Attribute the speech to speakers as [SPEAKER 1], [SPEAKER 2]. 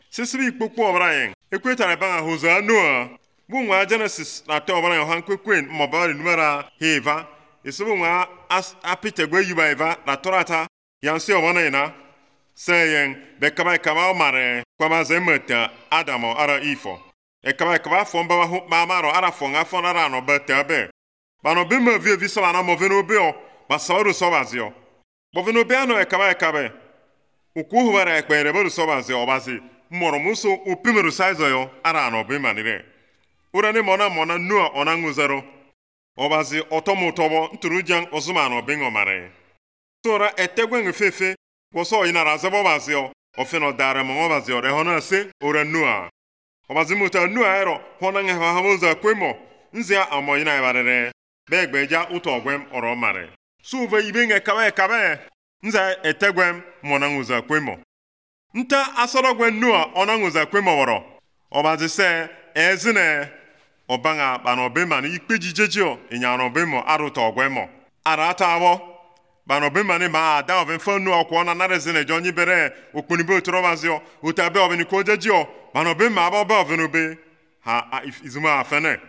[SPEAKER 1] sisibi ikpokpo ọbara ekwetara banga hoza Noah bu nwa Genesis na te ọbara han kwekwen mobile numera heva isibu nwa apitegwe yuba eva na torata yansi ọbara na seyen bekaba kaba mare kwaba zemeta Adamo ara ifo kaba fomba hu maro ara fonga fonara no betabe bano bima vi so na moveno bio basauru sobazio moveno biano kaba ukwu bara ekpere boru sobazio obazi mmoro muso upimeru size yo ara no bima nire urane mona Noah onanguzaro obazi otomotobo nturujan ozumano bingo mare tora etegwen fefe woso inara zabo bazio ofeno dare mo bazio rehona se ora Noah obazi muta Noah ero honanga hamoza kwemo nzia amo ina ibarere begbeja uto ogwem oro mare suve ibenge kabe nza etegwem monanguza kwemo nta asorogwen Noah onanguza kwemo woro obazi se ezine obanga banobema ni ikpejijejo inyanobemo aruto ogwemo arata abo banobema ni ma da oven fonu okwo na narezine jonyi bere okponibe otorobazio utabe oven ko jejio banobema abo ba ovenobe ha izuma afene